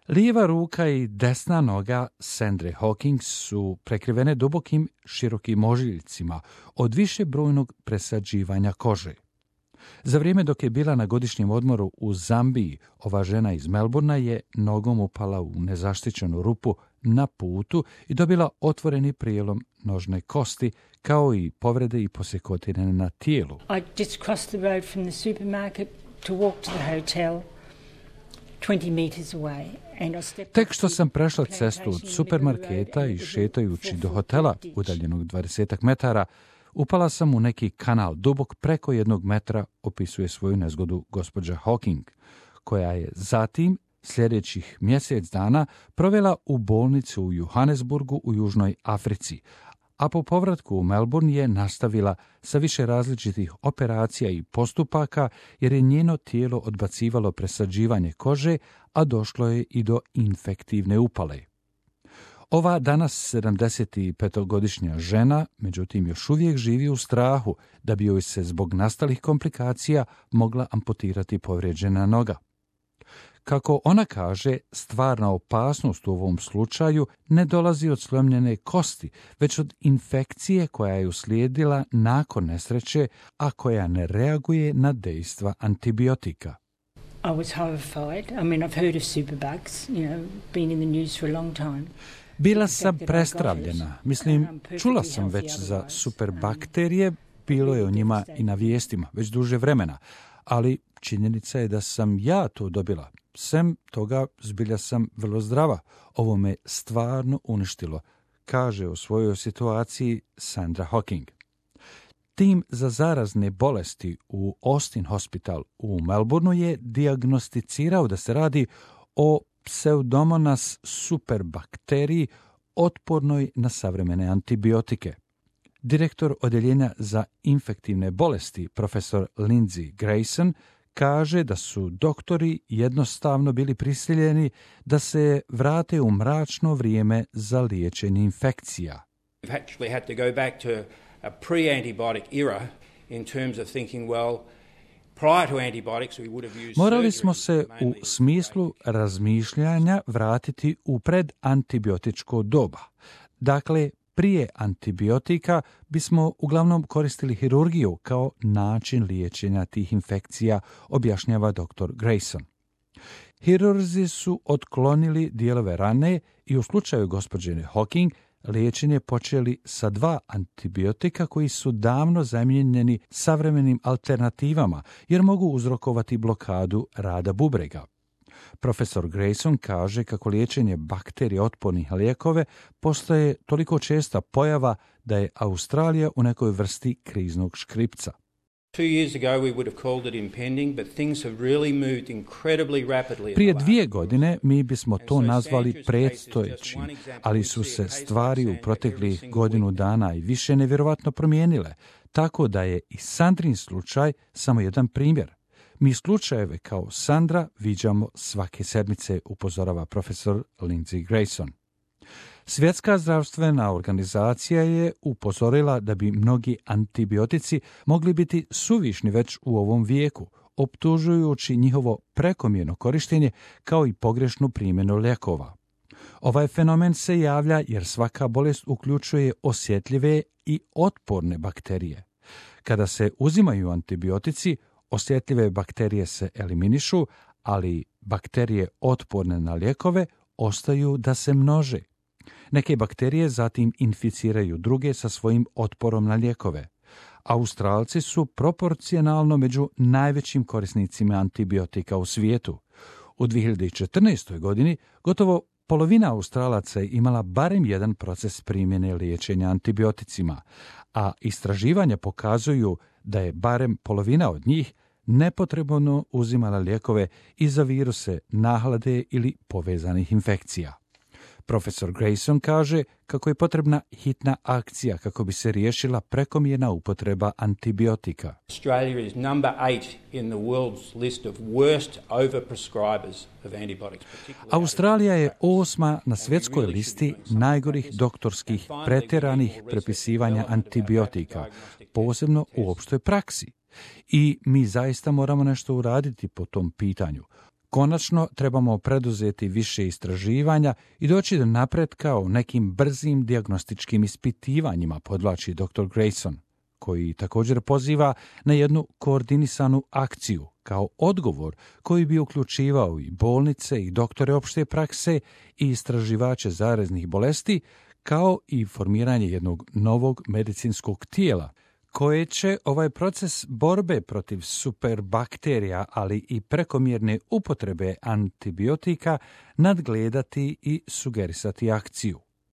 Lijeva ruka i desna noga Sandre Hawking su prekrivene dubokim, širokim ožiljcima od višebrojnog presađivanja kože. Za vrijeme dok je bila na godišnjem odmoru u Zambiji, ova žena iz Melbourna je nogom upala u nezaštićenu rupu na putu i dobila otvoreni prijelom nožne kosti, kao i povrede i posjekotine na tijelu. I just crossed the road from the supermarket to walk to the hotel 20 meters away. Tek što sam prešla cestu od supermarketa i šetajući do hotela, udaljenog 20 metara, upala sam u neki kanal dubok preko 1 metra, opisuje svoju nezgodu gospođa Hawking, koja je zatim sljedećih mjesec dana provela u bolnicu u Johannesburgu u Južnoj Africi, a po povratku u Melbourne je nastavila sa više različitih operacija i postupaka jer je njeno tijelo odbacivalo presađivanje kože, a došlo je i do infektivne upale. Ova danas 75-godišnja žena, međutim, još uvijek živi u strahu da bi joj se zbog nastalih komplikacija mogla amputirati povrijeđena noga. Kako ona kaže, stvarna opasnost u ovom slučaju ne dolazi od slomljene kosti, već od infekcije koja je uslijedila nakon nesreće, a koja ne reaguje na dejstva antibiotika. I was horrified. I mean, I've heard of superbugs, been in the news for a long time. Bila sam prestravljena. Mislim, čula sam već za superbakterije, bilo je o njima i na vijestima, već duže vremena, ali činjenica je da sam ja to dobila. Sem toga, zbilja sam vrlo zdrava. Ovo me stvarno uništilo, kaže o svojoj situaciji Sandra Hawking. Tim za zarazne bolesti u Austin Hospital u Melbourneu je dijagnosticirao da se radi o Pseudomonas superbakteriji otpornoj na savremene antibiotike. Direktor odjeljenja za infektivne bolesti, profesor Lindsay Grayson, kaže da su doktori jednostavno bili prisiljeni da se vrate u mračno vrijeme za liječenje infekcija. We've actually had to go back to a pre-antibiotic era in terms of thinking, well, prior to antibiotics we would have used Morali smo se u smislu razmišljanja vratiti u predantibiotičko doba. Dakle, prije antibiotika bismo uglavnom koristili hirurgiju kao način liječenja tih infekcija, objašnjava dr. Grayson. Hirurzi su otklonili dijelove rane i u slučaju gospođe Hawking liječenje počeli sa 2 antibiotika koji su davno zamijenjeni savremenim alternativama jer mogu uzrokovati blokadu rada bubrega. Profesor Grayson kaže kako liječenje bakterija otpornih lijekove postaje toliko česta pojava da je Australija u nekoj vrsti kriznog škripca. 2 years ago we would have called it impending, but things have really moved incredibly rapidly. Prije 2 godine mi bismo to nazvali predstojećim, ali su se stvari u proteklih godinu dana i više nevjerovatno promijenile, tako da je i Sandrin slučaj samo jedan primjer. Mi slučajeve kao Sandra viđamo svake sedmice, upozorava profesor Lindsay Grayson. Svjetska zdravstvena organizacija je upozorila da bi mnogi antibiotici mogli biti suvišni već u ovom vijeku, optužujući njihovo prekomjerno korištenje kao i pogrešnu primjenu lijekova. Ovaj fenomen se javlja jer svaka bolest uključuje osjetljive i otporne bakterije. Kada se uzimaju antibiotici, osjetljive bakterije se eliminišu, ali bakterije otporne na lijekove ostaju da se množe. Neke bakterije zatim inficiraju druge sa svojim otporom na lijekove. Australci su proporcionalno među najvećim korisnicima antibiotika u svijetu. U 2014. godini gotovo polovina Australaca je imala barem jedan proces primjene liječenja antibioticima, a istraživanja pokazuju da je barem polovina od njih nepotrebno uzimala lijekove i za viruse, nahlade ili povezanih infekcija. Profesor Grayson kaže kako je potrebna hitna akcija kako bi se riješila prekomjerna upotreba antibiotika. Australia is number 8 in the world's list of worst overprescribers of antibiotics. Australija je 8. na svjetskoj listi najgorih doktorskih pretjeranih prepisivanja antibiotika, posebno u opštoj praksi. I mi zaista moramo nešto uraditi po tom pitanju. Konačno trebamo preduzeti više istraživanja i doći do napretka u nekim brzim dijagnostičkim ispitivanjima, podvlači dr. Grayson, koji također poziva na jednu koordinisanu akciju kao odgovor koji bi uključivao i bolnice i doktore opšte prakse i istraživače zaraznih bolesti, kao i formiranje jednog novog medicinskog tijela koje će ovaj proces borbe protiv superbakterija, ali i prekomjerne upotrebe antibiotika nadgledati i sugerisati akciju.